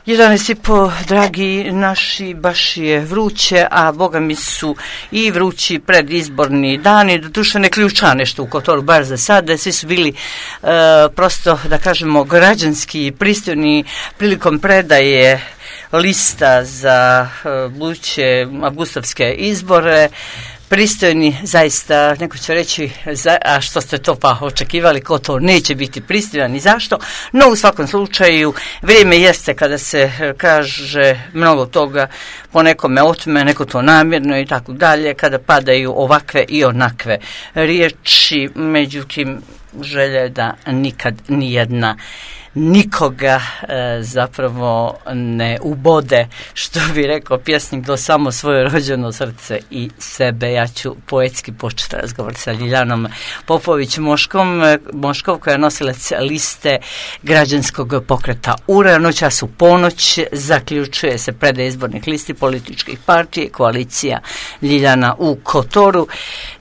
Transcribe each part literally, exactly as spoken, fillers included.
jedanaest i po, dragi naši, baš je vruće, a boga mi su i vrući predizborni dani, doduše ne ključa nešto u Kotoru, bar za sada, svi su bili uh, prosto, da kažemo, građanski pristojni prilikom predaje lista za uh, buduće avgustovske izbore, pristojni, zaista, neko će reći, za, a što ste to pa očekivali, ko to neće biti pristojan i zašto, no u svakom slučaju vrijeme jeste kada se kaže mnogo toga po nekome otme, neko to namjerno i tako dalje, kada padaju ovakve i onakve riječi, međutim želja je da nikad nijedna nikoga e, zapravo ne ubode, što bi rekao pjesnik, do samo svoje rođeno srce i sebe. Ja ću poetski početi razgovor sa Ljiljanom Popović-Moškom, Moškov, koja je nosilac liste građanskog pokreta U R A. Noćas u ponoć zaključuje se predaja izbornih listi političkih partija, koalicija Ljiljana u Kotoru.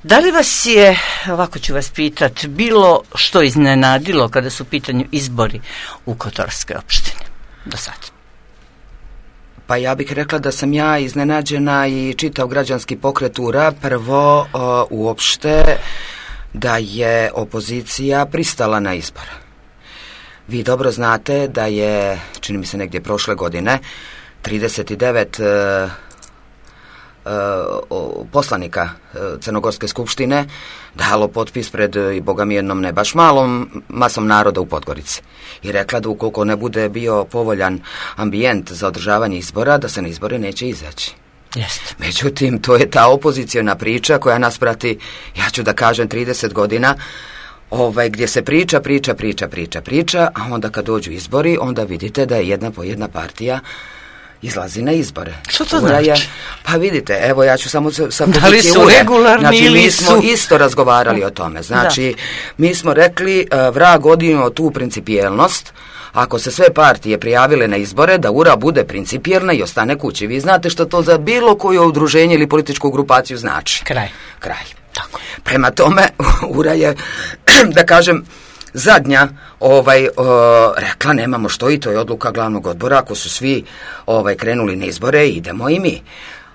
Da li vas je, ovako ću vas pitati, bilo što iznenadilo kada su u pitanju izbori u Kotorskoj opštini do sad? Pa ja bih rekla da sam ja iznenađena i čitav građanski pokret U R A, prvo uh, uopšte da je opozicija pristala na izbor. Vi dobro znate da je, čini mi se negdje prošle godine, trideset devet uh, poslanika Crnogorske skupštine dalo potpis pred, i boga mi jednom ne baš malom, masom naroda u Podgorici. I rekla da ukoliko ne bude bio povoljan ambijent za održavanje izbora, da se na izbore neće izaći. Jeste. Međutim, to je ta opozicijona priča koja nas prati, ja ću da kažem, trideset godina, ovaj, gdje se priča, priča, priča, priča, priča, a onda kad dođu izbori, onda vidite da je jedna po jedna partija izlazi na izbore. Što to znači? Je, pa vidite, evo ja ću samo sa pozicije da li su ure. regularni znači, ili mi smo su... isto razgovarali o tome. Znači, da. Mi smo rekli, uh, vrag odinio tu principijelnost, ako se sve partije prijavile na izbore, da U R A bude principijelna i ostane kući. Vi znate što to za bilo koje udruženje ili političku grupaciju znači. Kraj. Kraj. Tako. Prema tome, U R A je, da kažem, zadnja ovaj o, rekla nemamo što i to je odluka glavnog odbora, ako su svi ovaj krenuli na izbore, idemo i mi.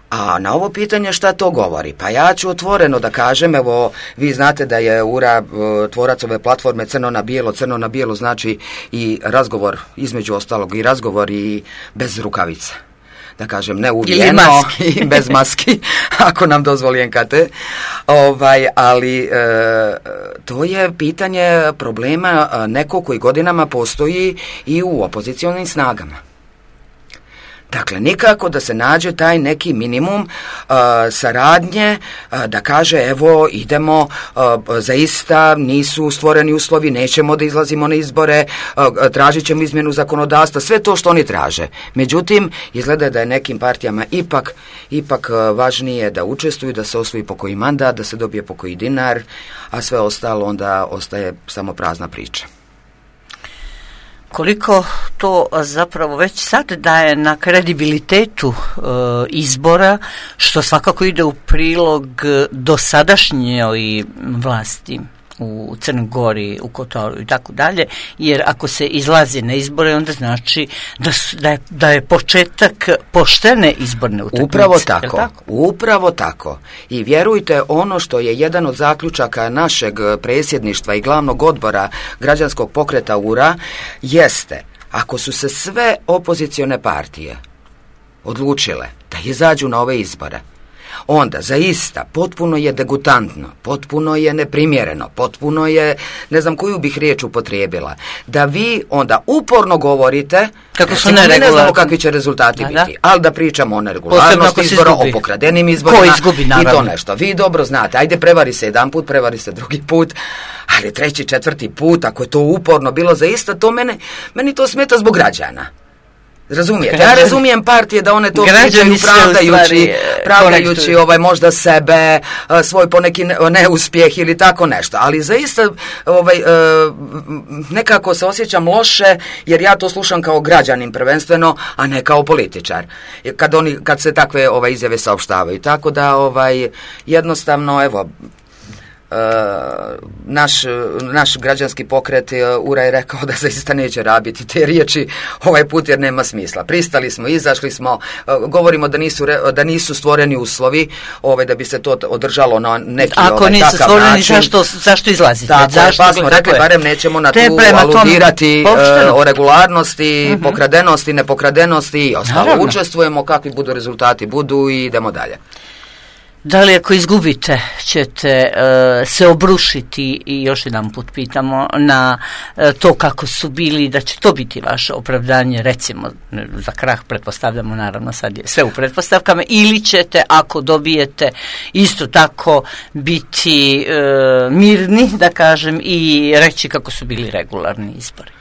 A na ovo pitanje šta to govori? Pa ja ću otvoreno da kažem, evo vi znate da je U R A tvorac ove platforme Crno na bijelo, Crno na bijelo znači i razgovor, između ostalog i razgovor i bez rukavica. Da kažem, ne uvijeno i bez maski, ako nam dozvoli N K T. Ovaj, ali e, to je pitanje problema e, neko koji godinama postoji i u opozicionim snagama. Dakle, nikako da se nađe taj neki minimum uh, saradnje, uh, da kaže evo idemo, uh, zaista nisu stvoreni uslovi, nećemo da izlazimo na izbore, uh, tražit ćemo izmjenu zakonodavstva, sve to što oni traže. Međutim, izgleda da je nekim partijama ipak, ipak uh, važnije da učestvuju, da se osvoji pokoji mandat, da se dobije pokoji dinar, a sve ostalo onda ostaje samo prazna priča. Koliko to zapravo već sad daje na kredibilitetu e, izbora, što svakako ide u prilog dosadašnjoj vlasti u Crnoj Gori, u Kotoru i tako dalje, jer ako se izlazi na izbore, onda znači da, su, da, je, da je početak poštene izborne utakmice. Upravo tako, tako, upravo tako. I vjerujte, ono što je jedan od zaključaka našeg predsjedništva i glavnog odbora građanskog pokreta U R A, jeste, ako su se sve opozicione partije odlučile da izađu na ove izbore, onda zaista potpuno je degutantno, potpuno je neprimjereno, potpuno je, ne znam koju bih riječ upotrijebila, da vi onda uporno govorite kako su neregularni. Ne znamo kakvi će rezultati da, biti, da. Ali da pričamo o neregularnosti izbora, o pokradenim izborima izgubi, i to nešto. Vi dobro znate, ajde prevari se jedan put, prevari se drugi put, ali treći, četvrti put, ako je to uporno bilo zaista, to mene, meni to smeta zbog građana. Razumijete? Ja razumijem partije da one to pričaju pravdajući, pravdajući ovaj, možda sebe, svoj poneki neuspjeh ili tako nešto. Ali zaista ovaj, nekako se osjećam loše jer ja to slušam kao građanin prvenstveno, a ne kao političar. Kad, oni, kad se takve ovaj, izjave saopštavaju. Tako da ovaj, jednostavno, evo, naš, naš građanski pokret Ura je rekao da zaista neće rabiti te riječi ovaj put jer nema smisla. Pristali smo, izašli smo, govorimo da nisu, da nisu stvoreni uslovi ovaj, da bi se to održalo na neki Ako ovaj, nisu takav stvoreni, način. Zašto, zašto izlazite? Tako, zašto, pa smo rekli, barem nećemo na tu aludirati uh, o regularnosti, uh-huh. pokradenosti, nepokradenosti i ostalo. Naravno. Učestvujemo, kakvi budu rezultati budu i idemo dalje. Da li ako izgubite ćete uh, se obrušiti i još jedan put pitamo na uh, to kako su bili, da će to biti vaše opravdanje, recimo za krah pretpostavljamo, naravno sad je sve u pretpostavkama, ili ćete ako dobijete isto tako biti uh, mirni, da kažem, i reći kako su bili regularni izbori?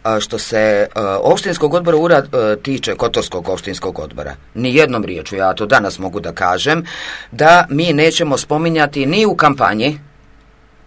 A što se uh, opštinskog odbora Ura uh, tiče, Kotorskog opštinskog odbora, ni jednom riječu, ja to danas mogu da kažem, da mi nećemo spominjati ni u kampanji,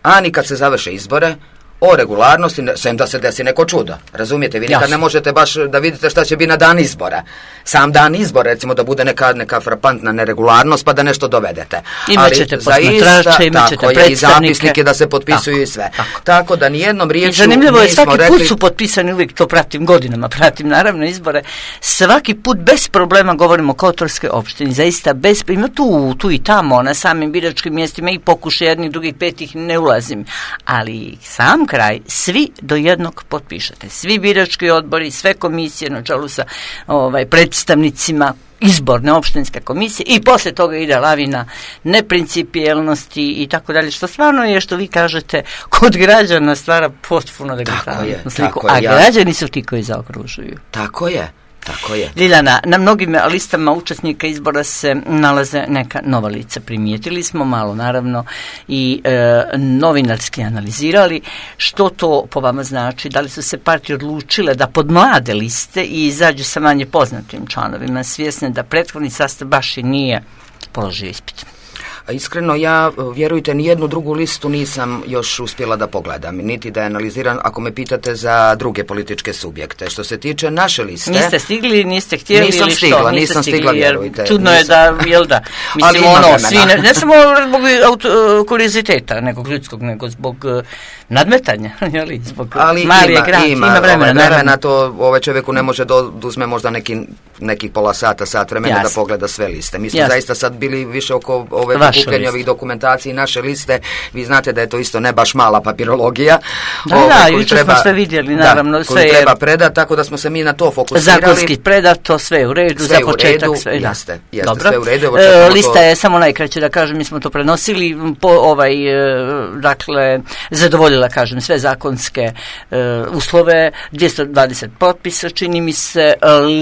a ni kad se završe izbore, o regularnosti, sem da se desi neko čudo. Razumijete, vi nikad Jasne. Ne možete baš da vidite šta će biti na dan izbora. Sam dan izbora, recimo, da bude neka, neka frapantna neregularnost, pa da nešto dovedete. Imaćete posmatrače, imaćete predstavnike. I zapisnike da se potpisuju tako, i sve. Tako. tako da nijednom riječu nismo rekli... Zanimljivo je, svaki rekli... put su potpisani, uvijek to pratim godinama, pratim naravno izbore, svaki put bez problema govorimo o Kotorskoj opštini, zaista bez, ima tu, tu i tamo, na samim biračkim mjestima i pokušaj jednih, drugih, petih, ne ulazim, ali sam kraj, svi do jednog potpišete. Svi birački odbori, sve komisije na čelu sa ovaj, predstavnicima izborne opštinske komisije i poslije toga ide lavina neprincipijelnosti i tako dalje, što stvarno je, što vi kažete, kod građana stvara potpuno degutantnu sliku, a ja. građani su ti koji zaokružuju. Tako je. Tako je. Ljiljana, na mnogim listama učesnika izbora se nalaze neka nova lica. Primijetili smo malo, naravno, i e, novinarski analizirali. Što to po vama znači? Da li su se partije odlučile da pod mlade liste i izađu sa manje poznatim članovima, svjesne da prethodni sastav baš i nije položio ispit? Iskreno, ja, vjerujte, ni jednu drugu listu nisam još uspjela da pogledam, niti da je analiziram, ako me pitate za druge političke subjekte. Što se tiče naše liste... Niste stigli, niste htjeli nisam ili što? Stigla, niste nisam stigli, stigla, vjerujte. Čudno nisam. je da, jel da, mislim, ono, svi, ne, ne samo zbog kurioziteta nekog ljudskog, nego zbog uh, nadmetanja, jeli, zbog ali Marije ima, Grad, ima, ima vremena. Ove vremena to ovaj čovjeku ne može da uzme možda neki, nekih pola sata, sat vremena Jasne. Da pogleda sve liste. Mi smo Jasne. Zaista sad bili više oko ove prikupljanja ovih dokumentacije naše liste. Vi znate da je to isto ne baš mala papirologija. Da, ove, da, jučer smo sve vidjeli, naravno. Da, sve koju treba predati, tako da smo se mi na to fokusirali. Zakonski predato, sve u redu, sve za početak. Redu, sve, jeste, jeste, Dobro. sve u redu. E, lista to... je samo najkraće, da kažem, mi smo to prenosili, po, ovaj, dakle, zadovoljila, kažem, sve zakonske uh, uslove, dvjesto dvadeset potpisa, čini mi se,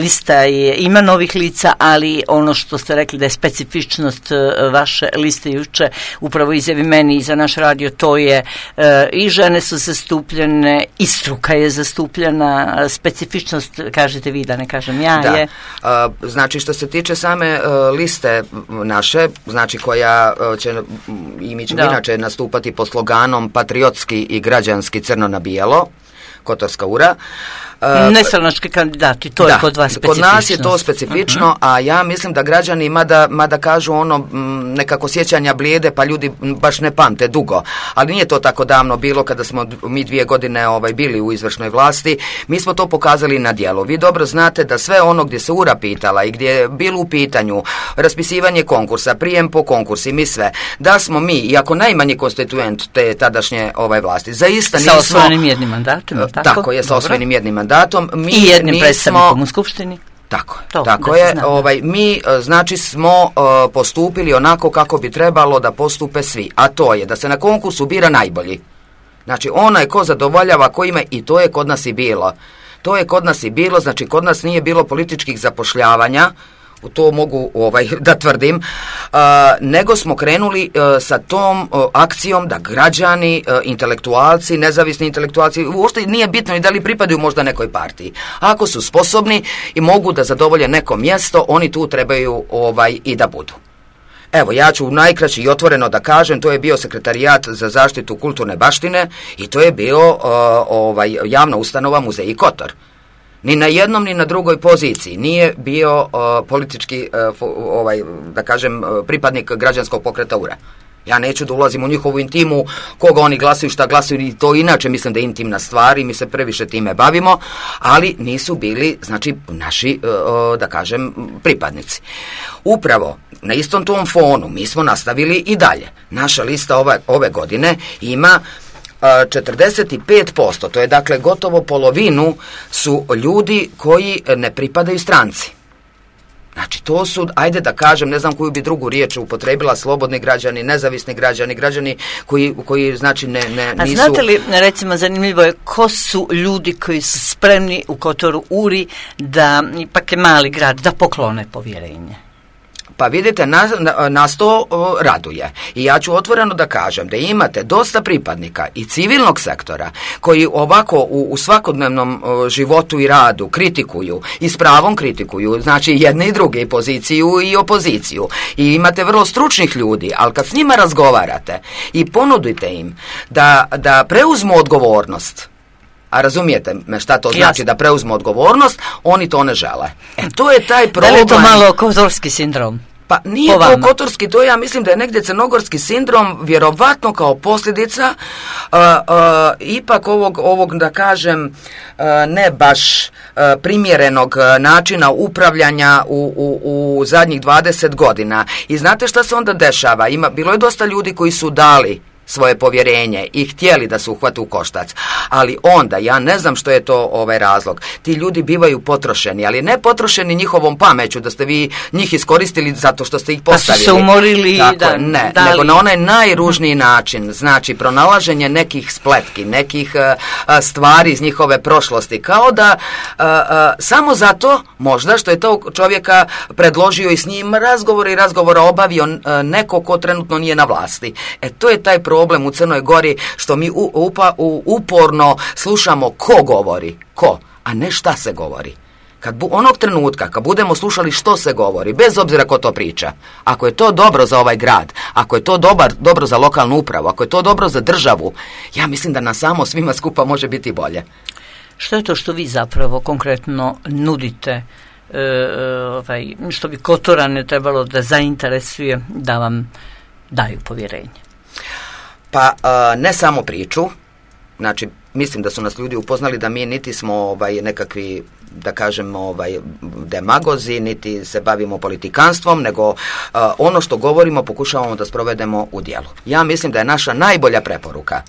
lista je, ima novih lica, ali ono što ste rekli da je specifičnost uh, vaše liste juče, upravo izjavi meni i za naš radio, to je uh, i žene su zastupljene, i struka je zastupljena, uh, specifičnost, kažete vi, da ne kažem ja, da. je... Uh, znači, što se tiče same uh, liste naše, znači koja uh, će, i mi ćemo da. inače nastupati po sloganom patriotski i građanski crno na bijelo, Kotorska Ura. Uh, Nestranački kandidati, to da, je kod vas specifično. Kod nas je to specifično, uh-huh. a ja mislim da građani, mada, mada kažu ono m, nekako sjećanja blijede, pa ljudi baš ne pamte dugo, ali nije to tako davno bilo kada smo mi dvije godine ovaj, bili u izvršnoj vlasti, mi smo to pokazali na djelu. Vi dobro znate da sve ono gdje se Ura pitala i gdje je bilo u pitanju raspisivanje konkursa, prijem po konkursi, mi sve, da smo mi, iako najmanji konstituent te tadašnje ovaj, vlasti, zaista nismo... Sa osvojenim jednim mandatom, tako? Tako je, sa osvojenim jednim mandatom. Mi I jednim nismo, predstavnikom u skupštini. Tako, to, tako je. Ovaj, mi, znači, smo uh, postupili onako kako bi trebalo da postupe svi. A to je da se na konkursu bira najbolji. Znači, onaj ko zadovoljava, ko ima, i to je kod nas i bilo. To je kod nas i bilo, znači, kod nas nije bilo političkih zapošljavanja, to mogu ovaj, da tvrdim, uh, nego smo krenuli uh, sa tom uh, akcijom da građani, uh, intelektualci, nezavisni intelektualci, uopšte nije bitno i da li pripadaju možda nekoj partiji. Ako su sposobni i mogu da zadovolje neko mjesto, oni tu trebaju ovaj, i da budu. Evo, ja ću najkraće i otvoreno da kažem, to je bio Sekretarijat za zaštitu kulturne baštine i to je bio uh, ovaj, javna ustanova Muzej Kotor. Ni na jednom, ni na drugoj poziciji nije bio uh, politički, uh, ovaj, da kažem, uh, pripadnik građanskog pokreta Ura. Ja neću da ulazim u njihovu intimu, koga oni glasuju, šta glasuju, i to inače mislim da je intimna stvar i mi se previše time bavimo, ali nisu bili, znači, naši, da kažem, pripadnici. Upravo na istom tom fonu mi smo nastavili i dalje. Naša lista ove, ove godine ima četrdeset pet posto, to je dakle gotovo polovinu su ljudi koji ne pripadaju stranci. Znači, to su, ajde da kažem, ne znam koju bi drugu riječ upotrebila, slobodni građani, nezavisni građani, građani koji, koji znači, ne, ne, nisu... A znate li, recimo, zanimljivo je, ko su ljudi koji su spremni u Kotoru Uri da, ipak je mali grad, da poklone povjerenje? Pa vidite, nas, nas to o, raduje. I ja ću otvoreno da kažem da imate dosta pripadnika i civilnog sektora koji ovako u, u svakodnevnom o, životu i radu kritikuju i s pravom kritikuju, znači jedne i druge, i poziciju i opoziciju. I imate vrlo stručnih ljudi, ali kad s njima razgovarate i ponudite im da, da preuzmu odgovornost, a razumijete me šta to znači, Jasne. Da preuzmu odgovornost, oni to ne žele. E, to je taj problem. Da li je to malo kotorski sindrom? Pa nije to kotorski, to ja mislim da je negdje crnogorski sindrom, vjerovatno kao posljedica uh, uh, ipak ovog, ovog, da kažem, uh, ne baš uh, primjerenog načina upravljanja u, u, u zadnjih dvadeset godina. I znate šta se onda dešava? Ima, bilo je dosta ljudi koji su dali svoje povjerenje i htjeli da se uhvate u koštac, ali onda, ja ne znam što je to ovaj razlog, ti ljudi bivaju potrošeni, ali ne potrošeni njihovom pameću, da ste vi njih iskoristili zato što ste ih postavili. Pa su se umorili. Tako, da, ne, dali. Nego na onaj najružniji način, znači pronalaženje nekih spletki, nekih uh, stvari iz njihove prošlosti, kao da uh, uh, samo zato, možda što je to čovjeka predložio i s njim razgovor i razgovora obavio uh, neko ko trenutno nije na vlasti. E, to je taj problem u Crnoj Gori, što mi u, upa, u, uporno slušamo ko govori, ko, a ne šta se govori. Kad bu, onog trenutka, kad budemo slušali što se govori, bez obzira ko to priča, ako je to dobro za ovaj grad, ako je to dobar, dobro za lokalnu upravu, ako je to dobro za državu, ja mislim da nam samo svima skupa može biti bolje. Što je to što vi zapravo konkretno nudite, e, ovaj, što bi Kotorane trebalo da zainteresuje da vam daju povjerenje? Pa ne samo priču, znači mislim da su nas ljudi upoznali da mi niti smo ovaj, nekakvi, da kažem, ovaj, demagozi, niti se bavimo politikanstvom, nego uh, ono što govorimo pokušavamo da sprovedemo u djelu. Ja mislim da je naša najbolja preporuka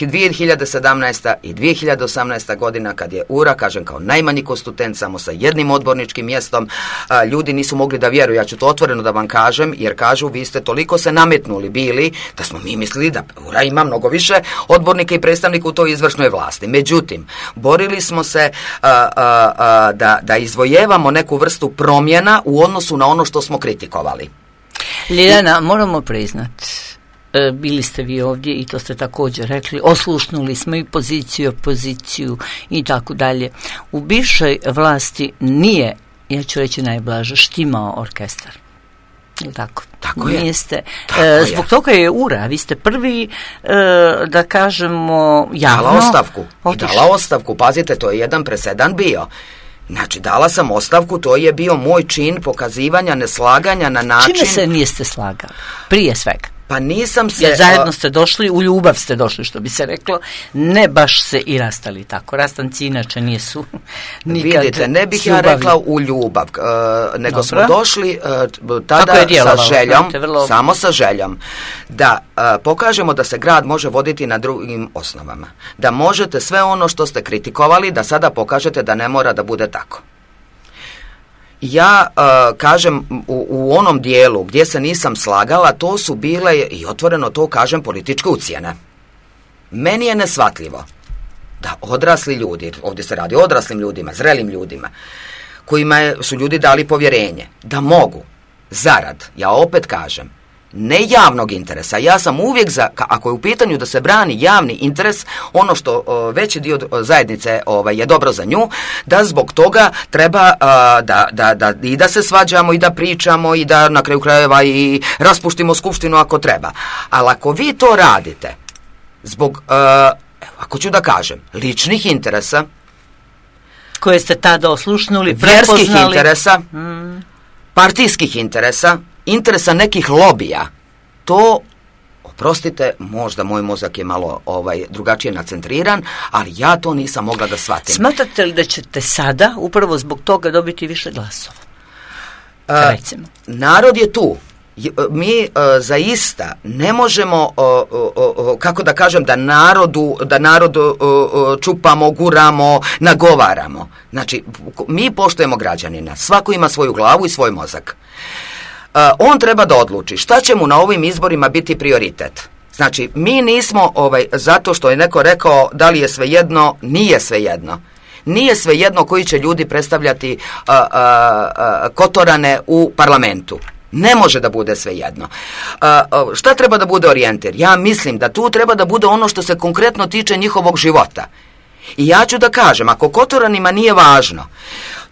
dvije hiljade sedamnaesta. i dvije hiljade osamnaesta. godina, kad je U R A, kažem, kao najmanji konstituent, samo sa jednim odborničkim mjestom, a, ljudi nisu mogli da vjeruju. Ja ću to otvoreno da vam kažem, jer kažu, vi ste toliko se nametnuli bili, da smo mi mislili da U R A ima mnogo više odbornika i predstavnika u toj izvršnoj vlasti. Međutim, borili smo se a, a, a, da, da izvojevamo neku vrstu promjena u odnosu na ono što smo kritikovali. Ljiljana, moramo priznati, bili ste vi ovdje i to ste također rekli, oslušnuli smo i poziciju, opoziciju i tako dalje. U bivšoj vlasti nije, ja ću reći najblaže, štimao orkestar. Tako, tako je. Niste, e, zbog toga je U R A, vi ste prvi, e, da kažemo, javno... Dala ostavku. I dala ostavku, pazite, to je jedan presedan bio. Znači, dala sam ostavku, to je bio moj čin pokazivanja neslaganja na način... Čime se niste slagali? Prije svega. Pa nisam se... Jer zajedno ste došli, u ljubav ste došli, što bi se reklo, ne baš se i rastali tako. Rastanci inače nisu nikad... Vidite, ne bih ja rekla u ljubav, uh, nego Dobro. smo došli uh, tada sa željom, vrlo... samo sa željom, da uh, pokažemo da se grad može voditi na drugim osnovama. Da možete sve ono što ste kritikovali, da sada pokažete da ne mora da bude tako. Ja uh, kažem u, u onom dijelu gdje se nisam slagala, to su bile, i otvoreno to kažem, političke ucjene. Meni je neshvatljivo da odrasli ljudi, ovdje se radi o odraslim ljudima, zrelim ljudima, kojima je, su ljudi dali povjerenje, da mogu zarad, ja opet kažem, ne javnog interesa. Ja sam uvijek za, ako je u pitanju da se brani javni interes, ono što o, veći dio zajednice ovaj, je dobro za nju, da zbog toga treba a, da, da, da, i da se svađamo i da pričamo i da na kraju krajeva i raspuštimo skupštinu ako treba. Ali ako vi to radite zbog, a, ako ću da kažem, ličnih interesa, koje ste tada oslušnuli, vjerskih interesa, mm. partijskih interesa, interesa nekih lobija, to oprostite, možda moj mozak je malo ovaj, drugačije nacentriran, ali ja to nisam mogla da shvatim. Smatrate li da ćete sada upravo zbog toga dobiti više glasova? Recimo. Uh, narod je tu. Mi uh, zaista ne možemo, uh, uh, uh, kako da kažem, da narodu, da narodu uh, uh, čupamo, guramo, nagovaramo. Znači, mi poštujemo građanina. Svako ima svoju glavu i svoj mozak. Uh, on treba da odluči šta će mu na ovim izborima biti prioritet. Znači, mi nismo, ovaj, zato što je neko rekao da li je svejedno, nije svejedno. Nije svejedno koji će ljudi predstavljati uh, uh, uh, Kotorane u parlamentu. Ne može da bude svejedno. Uh, uh, šta treba da bude orijentir? Ja mislim da tu treba da bude ono što se konkretno tiče njihovog života. I ja ću da kažem, ako Kotoranima nije važno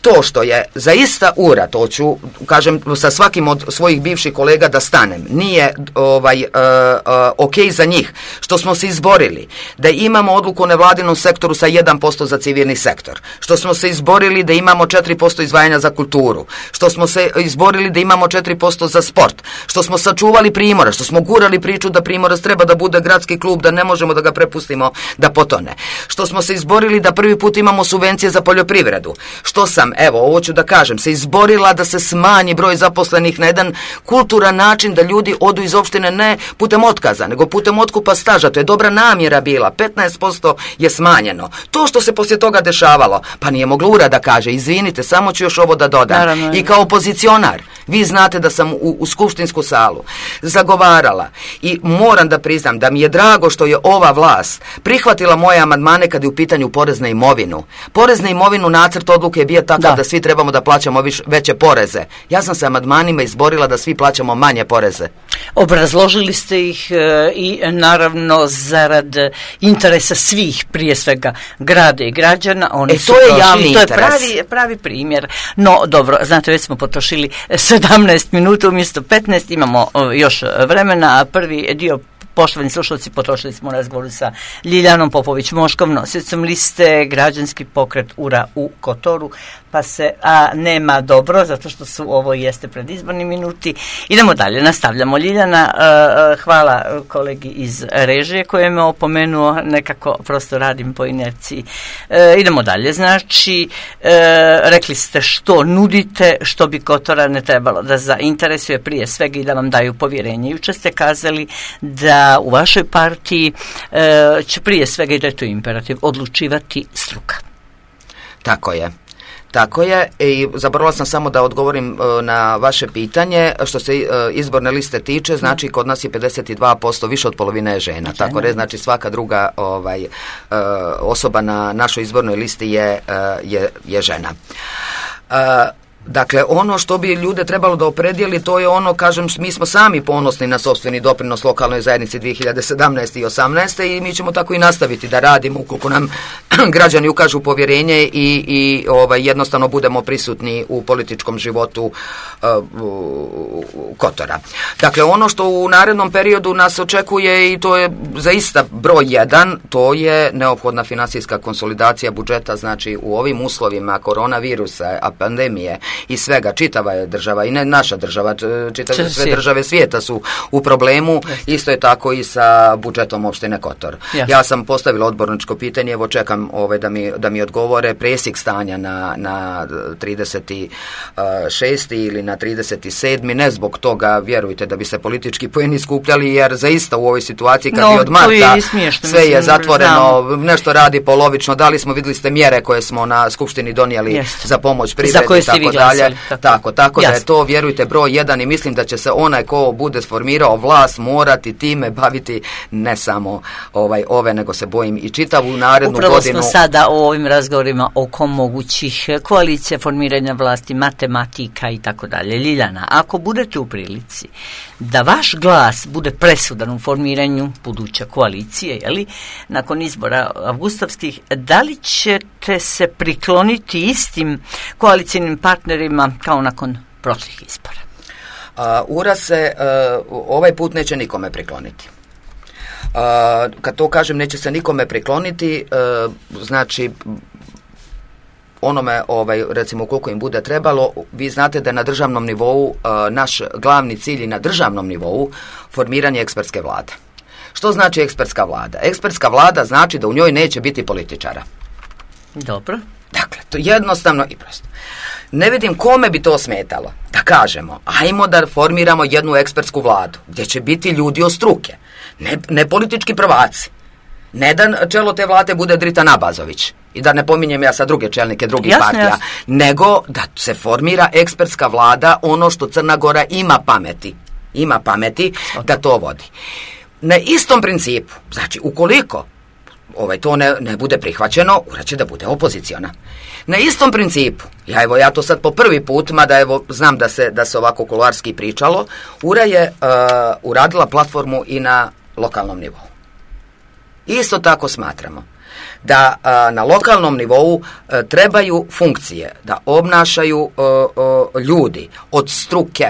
to što je zaista ura, to ću, kažem, sa svakim od svojih bivših kolega da stanem, nije ovaj, uh, uh, ok za njih, što smo se izborili da imamo odluku o nevladinom sektoru sa jedan posto za civilni sektor, što smo se izborili da imamo četiri posto izdvajanja za kulturu, što smo se izborili da imamo četiri posto za sport, što smo sačuvali Primorac, što smo gurali priču da Primorac treba da bude gradski klub, da ne možemo da ga prepustimo da potone, što smo se izborili da prvi put imamo subvencije za poljoprivredu, što sam, evo, ovo ću da kažem, se izborila da se smanji broj zaposlenih na jedan kulturan način, da ljudi odu iz opštine ne putem otkaza, nego putem otkupa staža. To je dobra namjera bila, petnaest posto je smanjeno. To što se poslije toga dešavalo, pa nije mogla ura da kaže, izvinite, samo ću još ovo da dodam. Naravno. I kao opozicionar, vi znate da sam u, u skupštinsku salu zagovarala i moram da priznam da mi je drago što je ova vlast prihvatila moje amandmane kad je u pitanju porez na imovinu. Porez na imovinu, nacrt odluke je bio takav da, da svi trebamo da plaćamo viš, veće poreze. Ja sam se amandmanima izborila da svi plaćamo manje poreze. Obrazložili ste ih e, i naravno zarad interesa svih, prije svega grada i građana. Oni e, to je prošli, javni to interes. To je pravi, pravi primjer. No, dobro, znate, već smo potrošili sedamnaest minuta umjesto petnaest, imamo o, još vremena, a prvi dio, poštovani slušalci, potrošili smo razgovor sa Ljiljanom Popović-Moškom, nosicom liste Građanski pokret ura u Kotoru, pa se a, nema dobro, zato što su ovo jeste predizborni minuti. Idemo dalje, nastavljamo. Ljiljana, a, a, hvala kolegi iz režije koji me opomenuo, nekako prosto radim po inerciji. E, idemo dalje, znači, e, rekli ste što nudite, što bi Kotorane trebalo da zainteresuje prije svega i da vam daju povjerenje. Jučer ste kazali da u vašoj partiji e, će prije svega, i da je to imperativ, odlučivati struka. Tako je. Tako je, i zaboravila sam samo da odgovorim uh, na vaše pitanje. Što se uh, izborne liste tiče, znači kod nas je pedeset dva posto, više od polovine je žena. žena. Tako je, znači svaka druga ovaj, uh, osoba na našoj izbornoj listi je, uh, je, je žena. Uh, Dakle, ono što bi ljude trebalo da opredijeli, to je ono, kažem, mi smo sami ponosni na sopstveni doprinos lokalnoj zajednici dvije hiljade sedamnaeste i osamnaeste i mi ćemo tako i nastaviti da radimo ukoliko nam građani ukažu povjerenje i, i ovaj, jednostavno budemo prisutni u političkom životu uh, Kotora. Dakle, ono što u narednom periodu nas očekuje, i to je zaista broj jedan, to je neophodna finansijska konsolidacija budžeta, znači u ovim uslovima koronavirusa, a pandemije i svega, čitava je država i ne naša država, čitave sve države svijeta su u problemu. Jeste. Isto je tako i sa budžetom opštine Kotor. Jeste. Ja sam postavila odborničko pitanje, evo čekam ove da mi, da mi odgovore presjek stanja na, na trideset šesti ili na trideset sedmi ne zbog toga, vjerujte, da bi se politički poeni skupljali, jer zaista u ovoj situaciji kad no, je od marta je smiješno, sve mislim, je zatvoreno, znam. Nešto radi polovično, da li smo, vidjeli ste mjere koje smo na skupštini donijeli Jeste. Za pomoć privredi i tako dalje. Tako, tako, tako da je to, vjerujte, broj jedan i mislim da će se onaj ko bude sformirao vlast morati time baviti ne samo ovaj, ove, nego se bojim i čitavu narednu Upravo godinu. Upravo smo sada o ovim razgovorima oko mogućih koalicija, formiranja vlasti, matematika i tako dalje. Ljiljana, ako budete u prilici da vaš glas bude presudan u formiranju buduće koalicije, jeli, nakon izbora avgustovskih, da li ćete se prikloniti istim koalicijnim partnerima kao nakon prošlih izbora? Uh, Ura se uh, ovaj put neće nikome prikloniti. Uh, kad to kažem neće se nikome prikloniti, uh, znači onome, ovaj, recimo koliko im bude trebalo, vi znate da je na državnom nivou uh, naš glavni cilj i na državnom nivou formiranje ekspertske vlade. Što znači ekspertska vlada? Ekspertska vlada znači da u njoj neće biti političara. Dobro. Dakle, to jednostavno i prosto. Ne vidim kome bi to smetalo da kažemo, ajmo da formiramo jednu ekspertsku vladu, gdje će biti ljudi od struke, ne, ne politički prvaci. Ne da čelo te vlade bude Drita Nabazović i da ne pominjem ja sa druge čelnike drugih jasne, partija, jasne. Nego da se formira ekspertska vlada, ono što Crna Gora ima pameti, ima pameti da to vodi. Na istom principu, znači ukoliko ovaj, to ne, ne bude prihvaćeno, URA će da bude opoziciona. Na istom principu, ja evo ja to sad po prvi put, mada evo znam da se, da se ovako kuloarski pričalo, URA je uh, uradila platformu i na lokalnom nivou. Isto tako smatramo da a, na lokalnom nivou a, trebaju funkcije da obnašaju a, a, ljudi od struke,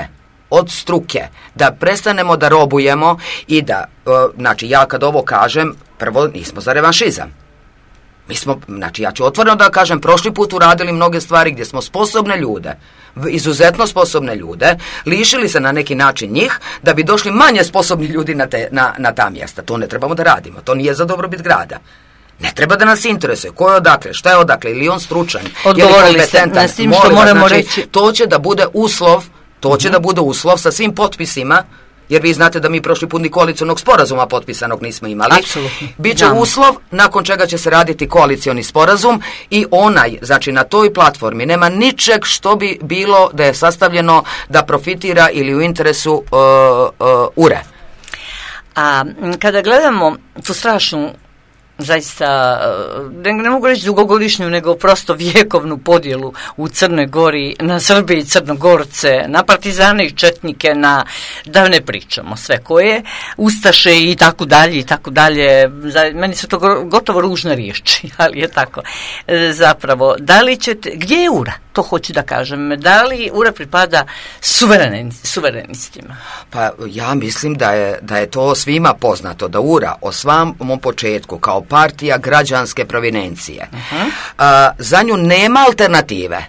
od struke, da prestanemo da robujemo i da, a, znači ja kad ovo kažem, prvo nismo za revanšizam. Mi smo, znači ja ću otvoreno da kažem, prošli put uradili mnoge stvari gdje smo sposobne ljude, izuzetno sposobne ljude, lišili se na neki način njih da bi došli manje sposobni ljudi na, te, na, na ta mjesta. To ne trebamo da radimo, to nije za dobrobit grada. Ne treba da nas interesuje ko je odakle, šta je odakle, ili on stručan, odgovorili ste na svim što moramo znači, reći. To će da bude uslov, to će mm-hmm. da bude uslov sa svim potpisima, jer vi znate da mi prošli put ni koalicionog sporazuma potpisanog nismo imali. Apsolutno. Biće Znam. uslov nakon čega će se raditi koalicioni sporazum i onaj, znači na toj platformi nema ničeg što bi bilo da je sastavljeno da profitira ili u interesu uh, uh, URE. A kada gledamo tu strašnu zaista, ne, ne mogu reći dugogodišnju, nego prosto vjekovnu podjelu u Crnoj Gori na Srbi i Crnogorce, na partizane i četnike, na, da ne pričamo sve koje, ustaše i tako dalje i tako dalje. Meni su to gotovo ružne riječi, ali je tako. Zapravo, da li ćete, gdje je URA? To hoću da kažem. Da li URA pripada suvereni, suverenistima? Pa ja mislim da je, da je to svima poznato, da URA o samom početku kao partija građanske provinencije, uh-huh. a, za nju nema alternative.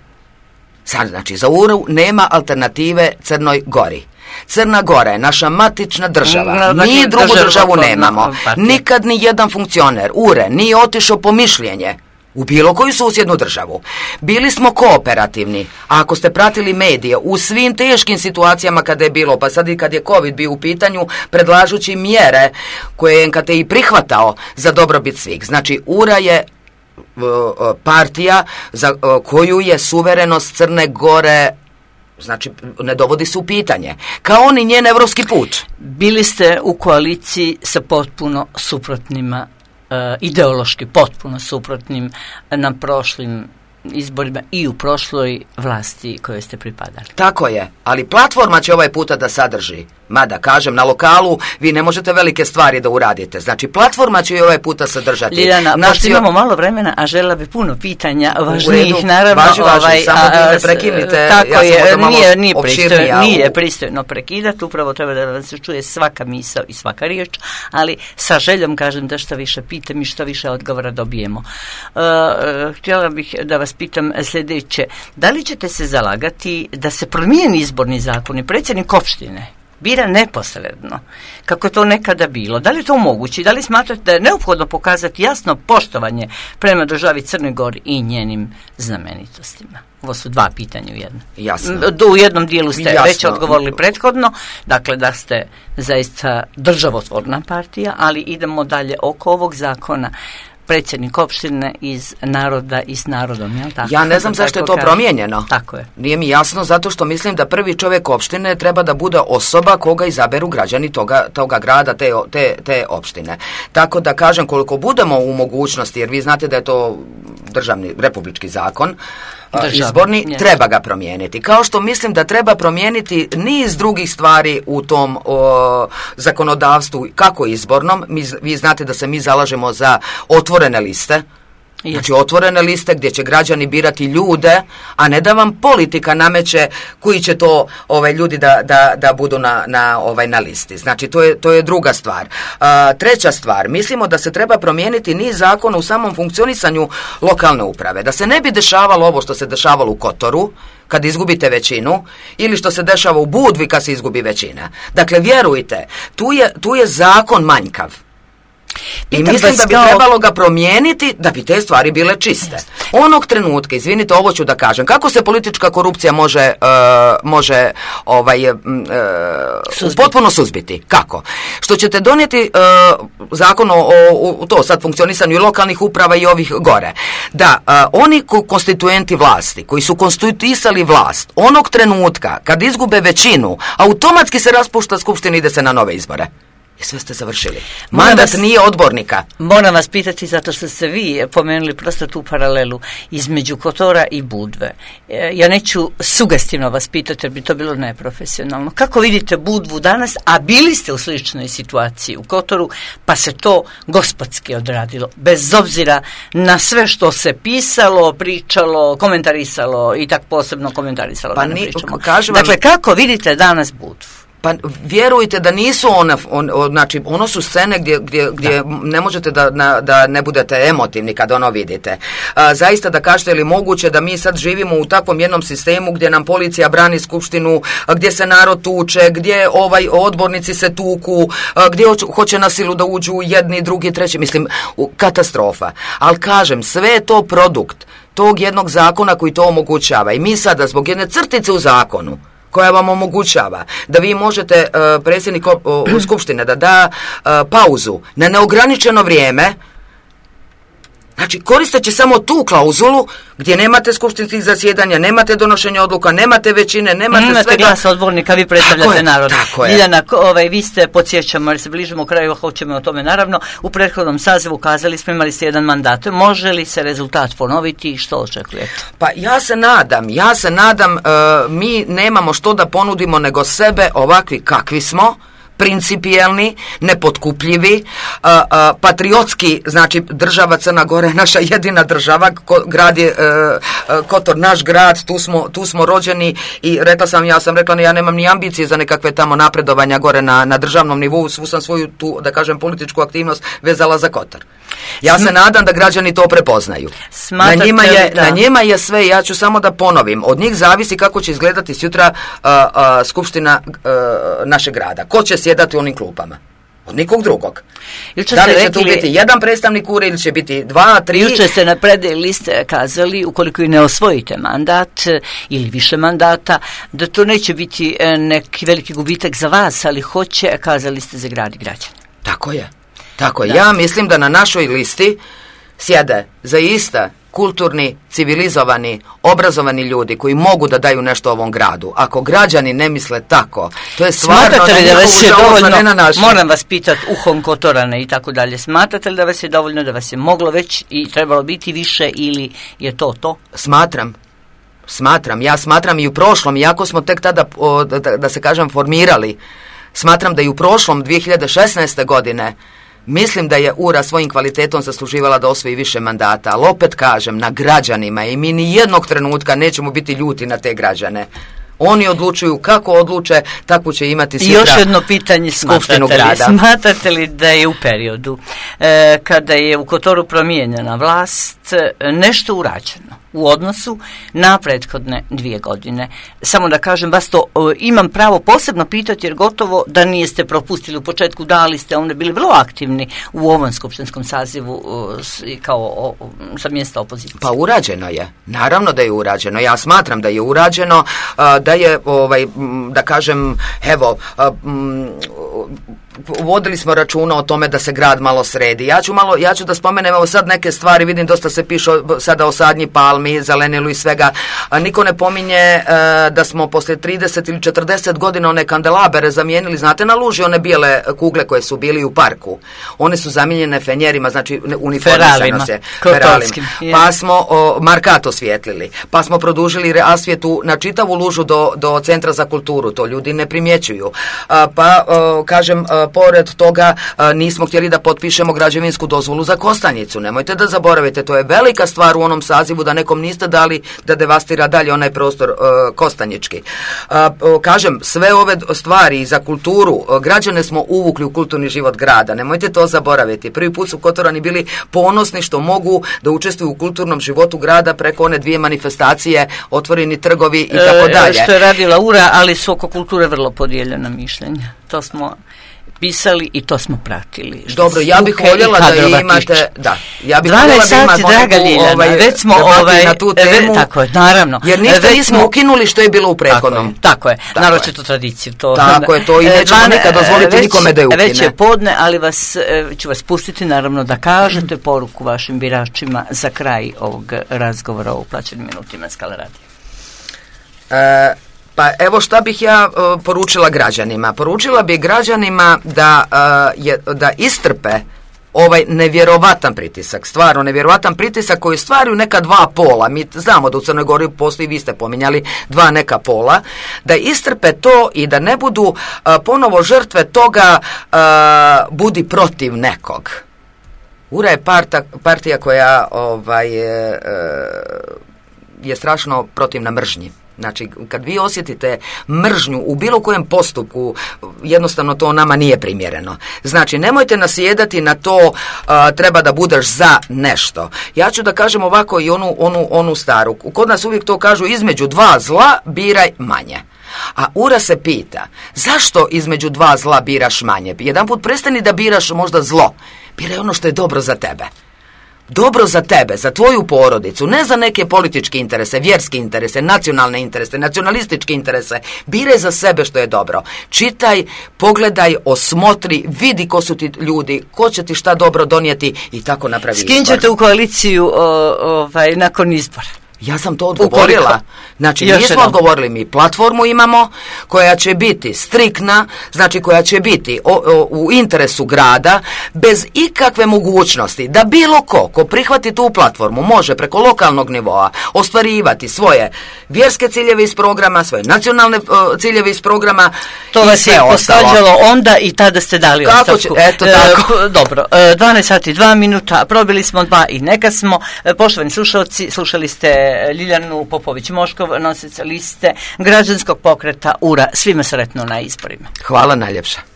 Sad, znači, za URU nema alternative Crnoj Gori. Crna Gora je naša matična država. No, mi drugu državu, državu nemamo. Nikad ni jedan funkcioner URE nije otišao po mišljenje u bilo koju susjednu državu. Bili smo kooperativni, a ako ste pratili medije, u svim teškim situacijama kada je bilo, pa sad i kad je COVID bio u pitanju, predlažući mjere koje je N K T I prihvatao za dobrobit svih. Znači, URA je partija za koju je suverenost Crne Gore, znači ne dovodi se u pitanje, kao ni njen evropski put. Bili ste u koaliciji sa potpuno suprotnima, uh, ideološki potpuno suprotnim na prošlim izborima i u prošloj vlasti kojoj ste pripadali. Tako je, ali platforma će ovaj puta da sadrži, mada kažem, na lokalu vi ne možete velike stvari da uradite, znači platforma će i ovaj puta sadržati. Ljiljana, Nacio... pošto imamo malo vremena, a žela bi puno pitanja važnijih, naravno. Važi, važi, ovaj, samo da ne prekinite, tako ja je, sam nije, nije, pristojno, nije pristojno prekidati, upravo treba da vam se čuje svaka misao i svaka riječ, ali sa željom kažem da što više pitam i što više odgovora dobijemo. Uh, uh, htjela bih da vas pitam sljedeće, da li ćete se zalagati da se promijeni izborni zakon i predsjednik opštine bira neposredno, kako je to nekada bilo? Da li to moguće? Da li smatrate da je neophodno pokazati jasno poštovanje prema državi Crnoj Gori i njenim znamenitostima? Ovo su dva pitanja u jednom. Jasno. U jednom dijelu ste Jasno. već odgovorili prethodno, dakle da ste zaista državotvorna partija, ali idemo dalje oko ovog zakona. Predsjednik opštine iz naroda i s narodom, jel tako? Ja ne znam zašto je to kaže. promijenjeno. Tako je. Nije mi jasno, zato što mislim da prvi čovjek opštine treba da bude osoba koga izaberu građani toga, toga grada, te, te, te opštine. Tako da kažem, koliko budemo u mogućnosti, jer vi znate da je to državni, republički zakon, Državni, izborni, yes. treba ga promijeniti. Kao što mislim da treba promijeniti niz drugih stvari u tom o, zakonodavstvu, kako izbornom. Mi, vi znate da se mi zalažemo za otvorene liste. Yes. Znači otvorene liste gdje će građani birati ljude, a ne da vam politika nameće koji će to ovaj, ljudi da, da, da budu na, na, ovaj, na listi. Znači to je, to je druga stvar. A, treća stvar, mislimo da se treba promijeniti niz zakona u samom funkcionisanju lokalne uprave. Da se ne bi dešavalo ovo što se dešavalo u Kotoru, kad izgubite većinu, ili što se dešava u Budvi kad se izgubi većina. Dakle, vjerujte, tu je, tu je zakon manjkav. I Pitam mislim da bi kao... trebalo ga promijeniti da bi te stvari bile čiste. Onog trenutka, izvinite, ovo ću da kažem, kako se politička korupcija može, uh, može ovaj, uh, potpuno suzbiti? Kako? Što ćete donijeti uh, zakon o, o to sad funkcionisanju i lokalnih uprava i ovih gore. Da, uh, oni konstituenti vlasti, koji su konstituisali vlast, onog trenutka kad izgube većinu, automatski se raspušta skupština i ide se na nove izbore. I sve ste završili. Mandat vas, nije odbornika. Moram vas pitati, zato što ste vi pomenuli prosto tu paralelu između Kotora i Budve. Ja neću sugestivno vas pitati, jer bi to bilo neprofesionalno. Kako vidite Budvu danas, a bili ste u sličnoj situaciji u Kotoru, pa se to gospodski odradilo, bez obzira na sve što se pisalo, pričalo, komentarisalo i tak posebno komentarisalo. Pa ni, kažem dakle, vam... kako vidite danas Budvu? Pa vjerujte da nisu one, on, on, znači ono su scene gdje, gdje, gdje ne možete da, na, da ne budete emotivni kad ono vidite. A, zaista da kažete, je li moguće da mi sad živimo u takvom jednom sistemu gdje nam policija brani skupštinu, gdje se narod tuče, gdje ovaj odbornici se tuku, gdje hoće, hoće na silu da uđu jedni, drugi, treći, mislim, katastrofa. Ali kažem, sve je to produkt tog jednog zakona koji to omogućava. I mi sada zbog jedne crtice u zakonu koja vam omogućava da vi možete uh, predsjednik uh, skupštine da da uh, pauzu na neograničeno vrijeme, znači koristeći samo tu klauzulu gdje nemate skupštinskih zasjedanja, nemate donošenja odluka, nemate većine, nemate, nemate svega. Glas odbornika, vi predstavljate narod. Ljiljana, ovaj, vi ste, podsjećamo, jer se bližimo kraju, hoćemo o tome naravno, u prethodnom sazivu kazali smo, imali ste jedan mandat. Može li se rezultat ponoviti i što očekujete? Pa ja se nadam, ja se nadam, uh, mi nemamo što da ponudimo nego sebe ovakvi kakvi smo, principijelni, nepotkupljivi, uh, uh, patriotski, znači država Crna Gora je naša jedina država, ko, grad je uh, uh, Kotor naš grad, tu smo, tu smo rođeni i rekla sam, ja sam rekla, ja nemam ni ambicije za nekakve tamo napredovanja gore na, na državnom nivou, svu sam svoju tu, da kažem, političku aktivnost vezala za Kotor. Ja se nadam da građani to prepoznaju. Na njima, je, na njima je sve, ja ću samo da ponovim, od njih zavisi kako će izgledati sutra uh, uh, skupština uh, našeg grada. Ko će sjedati u onim klupama? Od nikog drugog. Juče da li će rekli, tu biti jedan predstavnik ure ili će biti dva, tri? Juče ste na predaj liste kazali, ukoliko i ne osvojite mandat ili više mandata, da to neće biti neki veliki gubitak za vas, ali hoće, kazali ste, za grad i građane. Tako je. Tako je. Ja mislim da na našoj listi sjede zaista kulturni, civilizovani, obrazovani ljudi koji mogu da daju nešto ovom gradu. Ako građani ne misle tako, to je stvarno smatrate li da vas je dovoljno, ne na našem. Moram vas pitati, uhom Kotorane i tako dalje, smatrate li da vas je dovoljno, da vas je moglo već i trebalo biti više ili je to to? Smatram. Smatram. Ja smatram i u prošlom, iako smo tek tada, o, da, da se kažem, formirali, smatram da i u prošlom dvije hiljade šesnaeste. godine mislim da je Ura svojim kvalitetom zasluživala da osvoji više mandata, ali opet kažem, na građanima i mi ni jednog trenutka nećemo biti ljuti na te građane. Oni odlučuju kako odluče, tako će imati sutra. I još jedno pitanje, skupštinu grada. Smatrate li da je u periodu e, kada je u Kotoru promijenjena vlast nešto urađeno u odnosu na prethodne dvije godine? Samo da kažem, vas to o, imam pravo posebno pitati, jer gotovo da niste propustili u početku, dali ste, onda bili vrlo aktivni u ovom skupštinskom sazivu o, s, kao o, o, sa mjesta opozicije. Pa urađeno je, naravno da je urađeno. Ja smatram da je urađeno, a, da je, ovaj, da kažem, evo, a, m, vodili smo računa o tome da se grad malo sredi. Ja ću malo, ja ću da spomenem, evo sad neke stvari, vidim dosta se piše sada o sadnji palmi, zelenilu i svega. A, niko ne pominje e, da smo posle trideset ili četrdeset godina one kandelabere zamijenili, znate, na luži one bijele kugle koje su bili u parku. One su zamijenjene fenjerima, znači uniformisano se. Feralima. Pa smo o, markat osvijetlili, pa smo produžili rasvjetu na čitavu lužu do, do centra za kulturu, to ljudi ne primjećuju. A, pa, o, kažem, pored toga a, nismo htjeli da potpišemo građevinsku dozvolu za Kostanjicu. Nemojte da zaboravite, to je velika stvar u onom sazivu da nekom niste dali da devastira dalje onaj prostor a, kostanjički. A, kažem, sve ove stvari za kulturu, a, građane smo uvukli u kulturni život grada. Nemojte to zaboraviti. Prvi put su Kotorani bili ponosni što mogu da učestvuju u kulturnom životu grada preko one dvije manifestacije, otvoreni trgovi i tako dalje. E, što je radila Ura, ali su oko kulture vrlo podijeljena mišljenja. To smo pisali i to smo pratili. Dobro, ja bih voljela da imate, da, ja bih voljela da imate draga Ljiljana, ovaj, već smo ovaj, na tu temu, tako je, naravno. Jer ništa nismo smo, ukinuli što je bilo u prethodnom. Tako je, tako je. naročito tradiciju. To, tako je, to i nećemo nikad dozvoliti već, nikome da je ukine. Već je podne, ali vas, ću vas pustiti naravno da kažete poruku vašim biračima za kraj ovog razgovora o uplaćenim minutima Skala radija. E, Pa evo šta bih ja uh, poručila građanima. Poručila bih građanima da, uh, je, da istrpe ovaj nevjerovatan pritisak, stvarno nevjerovatan pritisak koji stvaraju neka dva pola. Mi znamo da u Crnoj Gori postoji, vi ste pominjali, dva neka pola, da istrpe to i da ne budu uh, ponovo žrtve toga uh, budi protiv nekog. Ura je parta, partija koja ovaj, je, je strašno protivna mržnji. Znači, kad vi osjetite mržnju u bilo kojem postupku, jednostavno to nama nije primjereno. Znači, nemojte nasjedati na to a, treba da budeš za nešto. Ja ću da kažem ovako i onu, onu, onu staru. Kod nas uvijek to kažu, između dva zla biraj manje. A Ura se pita, zašto između dva zla biraš manje? Jedan put prestani da biraš možda zlo. Biraj ono što je dobro za tebe. Dobro za tebe, za tvoju porodicu, ne za neke političke interese, vjerske interese, nacionalne interese, nacionalističke interese. Biraj za sebe što je dobro. Čitaj, pogledaj, osmotri, vidi ko su ti ljudi, ko će ti šta dobro donijeti i tako napravi izbor. S kim ćete u koaliciju o, ovaj, nakon izbora? Ja sam to odgovorila. Znači, Još nismo odgovorili, mi platformu imamo koja će biti striktna, znači koja će biti o, o, u interesu grada, bez ikakve mogućnosti da bilo ko, ko prihvati tu platformu, može preko lokalnog nivoa ostvarivati svoje vjerske ciljeve iz programa, svoje nacionalne o, ciljeve iz programa. To vas je posvađalo onda i tada ste dali Kako ostavku. Će, eto tako. E, dobro, e, dvanaest sati dva minuta, probili smo dva i neka smo. E, poštovani slušalci, slušali ste Ljiljanu Popović-Moškov, nosica liste građanskog pokreta Ura. Svima sretno na izborima. Hvala najljepša.